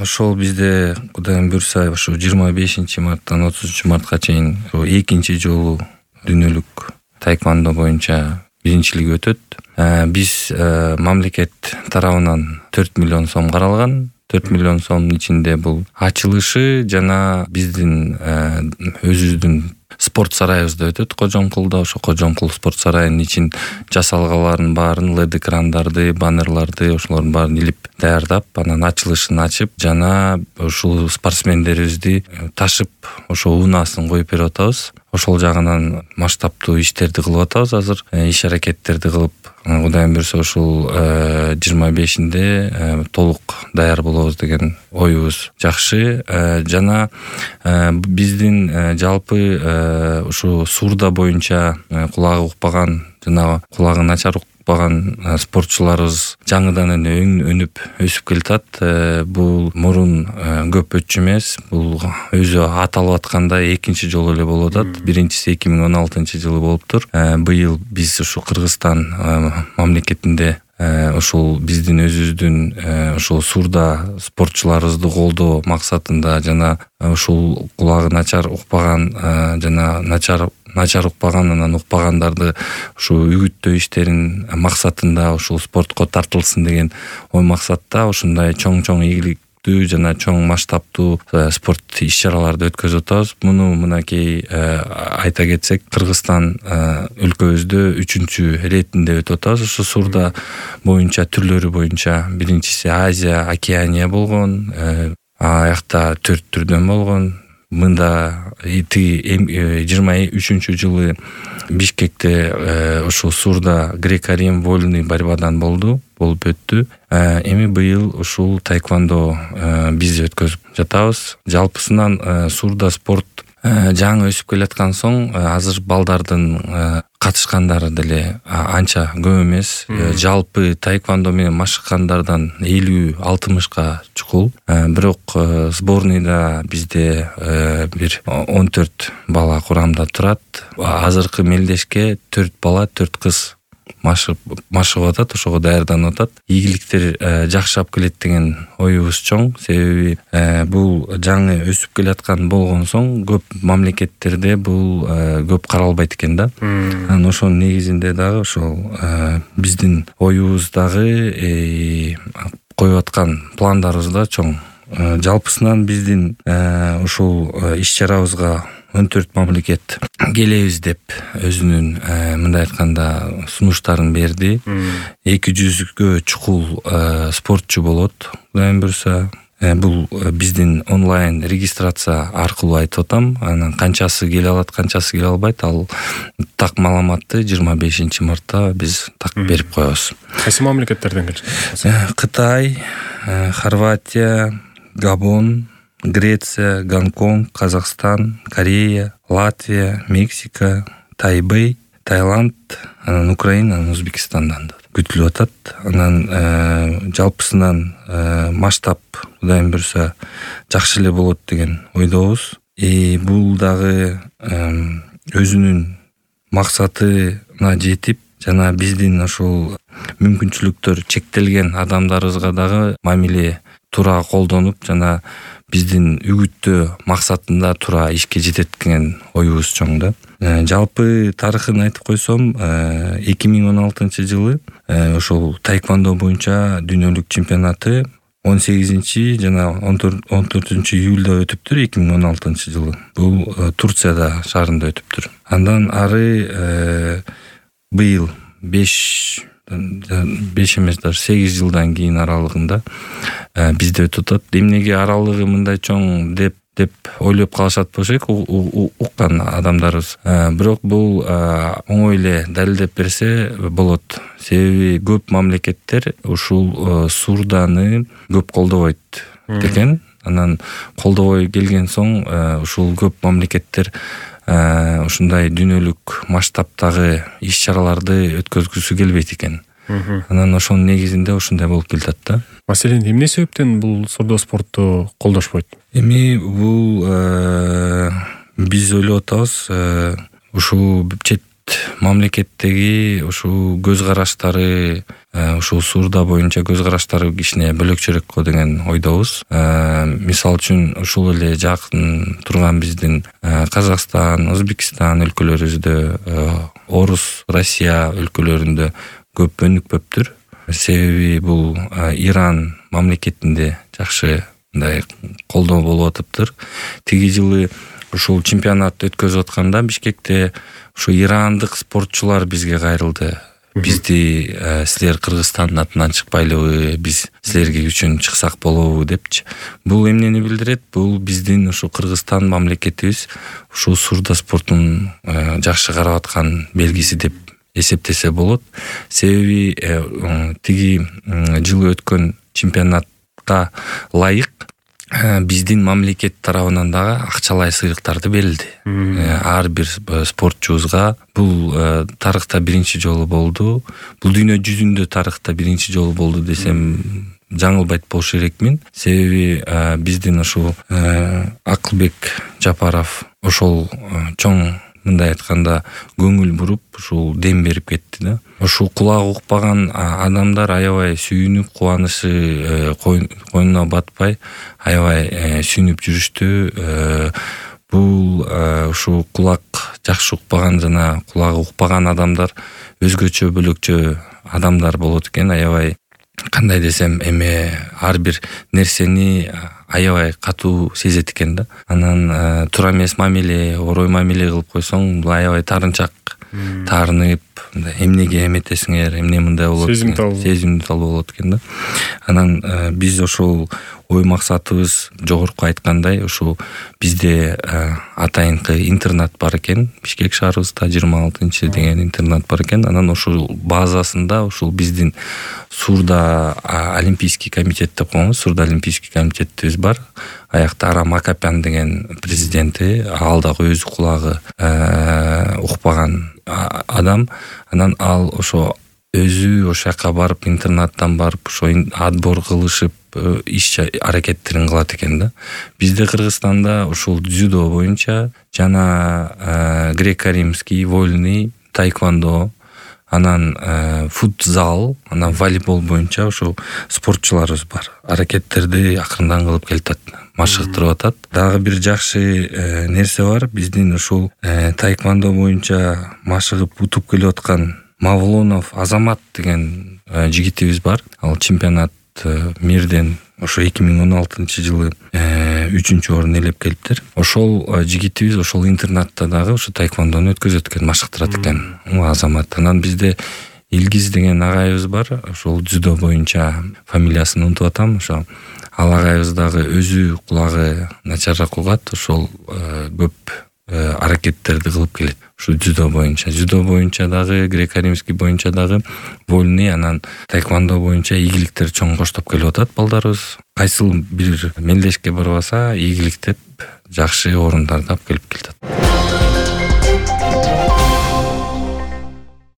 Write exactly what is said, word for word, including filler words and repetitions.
ошол бизде Кудайым буйрса ошо жыйырма бешинчи марттан отузунчу мартка чейин экинчи жолу дүйнөлүк таэквондо боюнча биринчилиги өтөт. Биз мамлекет тарабынан төрт миллион сом каралган. төрт миллион сомдун ичинде бул ачылышы жана биздин өзүбүздүн спорт сарайыбызда өтөт. Кожомкулда ошо Кожомкул спорт сарайынын ичин жасалгаларын баарын, лед экрандарды, баннерларды ошолордун баарын илип даярдап, анан ачылышын ачып, жана ушул спортсмендерибизди ташып ошо унаасын коюп берип атабыз. Ошол жагынан масштабтуу иштерди кылып атабыз. Азыр иш аракеттерди кылып, Кудайым буйрса ушул жыйырма бешинде толук даяр болобуз деген оюбуз жакшы. Жана биздин жалпы ушу Сурда боюнча кулагы укпаган жана кулагы начар укпаган спортчуларыбыз жаңыдан эле өнүп өсүп келатат. Бул мурун көп өтчү эмес. Бул өзү аталып аткандай экинчи жолу эле болуп атат. Биринчиси эки миң он алтынчы жылы болуптур. Быйыл биз ушу Кыргызстан мамлекетинде ушул биздин өзүбүздүн ушул Сурда спортчуларыбызды колдоо максатында жана ушул кулагы начар укпаган жана начар начар укпаган анан укпагандарды ушу үгүттөө иштерин максатында ушул спортко тартылсын деген ой максатта ушундай чоң-чоң ийгиликтүү жана чоң масштабтуу спорт иш-чараларды өткөзүп атабыз. Муну мынакей айта кетсек, Кыргызстан өлкөбүздө үчүнчү иретинде өтүп атабыз. Ушу Сурда боюнча түрлөрү боюнча биринчиси Азия, Океания болгон. Аякта төрт түрдөн болгон. Мында жыйырма үчүнчү жылы Бишкекте ушул Сурда греко-рим вольный борьбадан болду, болуп өттү. Эми быйыл ушул таэквондо биз өткөзүп жатабыз. Жалпысынан Сурда спорт жаңы өсүп келаткан соң азыр балдардын катышкандары деле анча көп эмес. Жалпы таэквондо менен машыккандардан элүү алтымышка чукул. Бирок сборныйда бизде бир он төрт бала курамда турат. Азыркы мелдешке төрт бала, төрт кыз машыгып атат, ошого даярданып атат. Ийгиликтер жакшырап келет деген оюбуз чоң. Себеби бул жаңы өсүп келаткан болгон соң көп мамлекеттерде бул көп каралбайт экен да. Анан ошонун негизинде дагы ошол биздин оюбуз дагы коюп аткан пландарыбыз да чоң. Жалпысынан биздин ушул иш-чарабызга он төрт мамлекет келебиз деп өзүнүн мындай айтканда сунуштарын берди. эки жүзгө чукул спортчу болот. Кудайым буйрса, бул биздин онлайн регистрация аркылуу айтып атам. Анан канчасы келе алат, канчасы келе албайт, ал так маалыматты жыйырма бешинчи мартта биз так берип коебуз. Кайсы мамлекеттерден келишет? Кытай, Хорватия, Габон, Греция, Гонконг, Казакстан, Корея, Латвия, Мексика, Тайбэй, Таиланд, анан Украина, анан Өзбекстандан күтүлүп атат. Анан жалпысынан масштаб Кудайым буйрса жакшы эле болот деген ойдобуз. И бул дагы өзүнүн максатына жетип, жана биздин ошол мүмкүнчүлүктөр чектелген адамдарыбызга дагы мамиле туура колдонуп, жана биздин үгүттөө максатында туура ишке жетет деген оюбуз чоң да. Жалпы тарыхын айтып койсом, эки миң он алтынчы жылы ошол таэквондо боюнча дүйнөлүк чемпионаты он сегизинчи жана он төртүнчү июлда өтүптүр эки миң он алтынчы жылы. Бул Турцияда шаарында өтүптүр. Андан ары быйыл беш беш эмес даже сегиз жылдан кийин аралыгында бизде өтүп атат. Эмнеге аралыгы мындай чоң деп деп ойлоп калышат болчу уккан адамдарыбыз. Бирок бул оңой эле далилдеп берсе болот. Себеби көп мамлекеттер ушул Сурданы көп колдобойт экен. Анан колдобой келген соң ушул көп мамлекеттер ушундай дүйнөлүк масштабтагы иш-чараларды өткөзгүсү келбейт экен. Анан ошонун негизинде ушундай болуп келатат да. Маселен, эмне себептен бул Сурда спортту колдошпойт? Эми бул биз ойлоп атабыз, ушул чет мамлекеттеги ушул көз караштары, ушул суурда боюнча көз караштары кичине бөлөкчөрөөк го деген ойдобуз. Мисалы үчүн ушул эле жакын турган биздин Казакстан, Өзбекстан өлкөлөрүбүздө, Орус, Россия өлкөлөрүндө көп өнүкпөптүр. Себеби бул Иран мамлекетинде жакшы мындай колдоо болуп атыптыр. Тиги жылы ушул чемпионат өткөзүп атканда Бишкекте ушу ирандык спортчулар бизге кайрылды. Бизди силер Кыргызстандын атынан чыкпайлыбы, биз силерге үчүн чыксак болобу депчи. Бул эмнени билдирет? Бул биздин ушу Кыргызстан мамлекетибиз ушул суурда спортун жакшы карап аткан белгиси деп эсептесе болот. Себеби тиги жылы өткөн чемпионатка ылайык биздин мамлекет тарабынан дагы акчалай сыйлыктарды берилди. Ар бир спортчубузга бул тарыхта биринчи жолу болду. Бул дүйнө жүзүндө тарыхта биринчи жолу болду десем жаңылбайт болуш керекмин. Себеби биздин ушул Акылбек Жапаров ошол чоң мындай айтканда көңүл буруп, ушул дем берип кетти да. Ушул кулагы укпаган адамдар аябай сүйүнүп, кубанышы койнуна батпай, аябай сүйүнүп жүрүштү. Бул ушул кулак жакшы укпаган жана кулагы укпаган адамдар өзгөчө бөлөкчө адамдар болот экен. Аябай кандай десем, эме ар бир нерсени аябай катуу сезет экен да. Анан туура эмес мамиле, орой мамиле кылып койсоң, бул аябай таарынчак таарынып, эмнеге эметесиңер, эмне мындай болот, сезимтал болот экен да. Анан биз ошол ой максатыбыз жогорку айткандай, ушул бизде атайынкы интернат бар экен. Бишкек шаарыбызда жыйырма алтынчы деген интернат бар экен. Анан ошол базасында ушул биздин Суурда олимпийский комитет деп коебуз. Суурда олимпийский комитетибиз бар. Аякта Арам Акапян деген президенти, ал дагы өзү кулагы укпаган адам. Анан ал ошо өзү ошол жака барып, интернаттан барып, ошо отбор кылышып, иш аракеттерин кылат экен да. Бизде Кыргызстанда ушул дзюдо боюнча жана греко-римский, вольный, тайквондо, анан футзал, анан волейбол боюнча ушул спортчуларыбыз бар. Аракеттерди акырындан кылып келатат, машыктырып атат. Дагы бир жакшы нерсе бар. Биздин ушул тайквондо боюнча машыгып утуп келип аткан Мавлонов Азамат деген жигитибиз бар. Ал чемпионат мирден ошо эки миң он алтынчы жылы үчүнчү орун ээлеп келиптир. Ошол жигитибиз ошол интернатта дагы ошо тайквондону өткөзөт экен, машыктырат экен Азамат. Анан бизде Илгиз деген агайыбыз бар. Ошол дзюдо боюнча фамилиясын унутуп атам. Ошо ал агайыбыз дагы өзү кулагы начарраак угат. Ошол көп аракеттерди кылып келет. Ушу дзюдо боюнча, дзюдо боюнча дагы, греко-римский боюнча дагы, вольный, анан тайквондо боюнча ийгиликтер чоң коштоп келип атат балдарыбыз. Кайсыл бир мелдешке барбаса, ийгиликтеп жакшы орундарда алып келип келатат.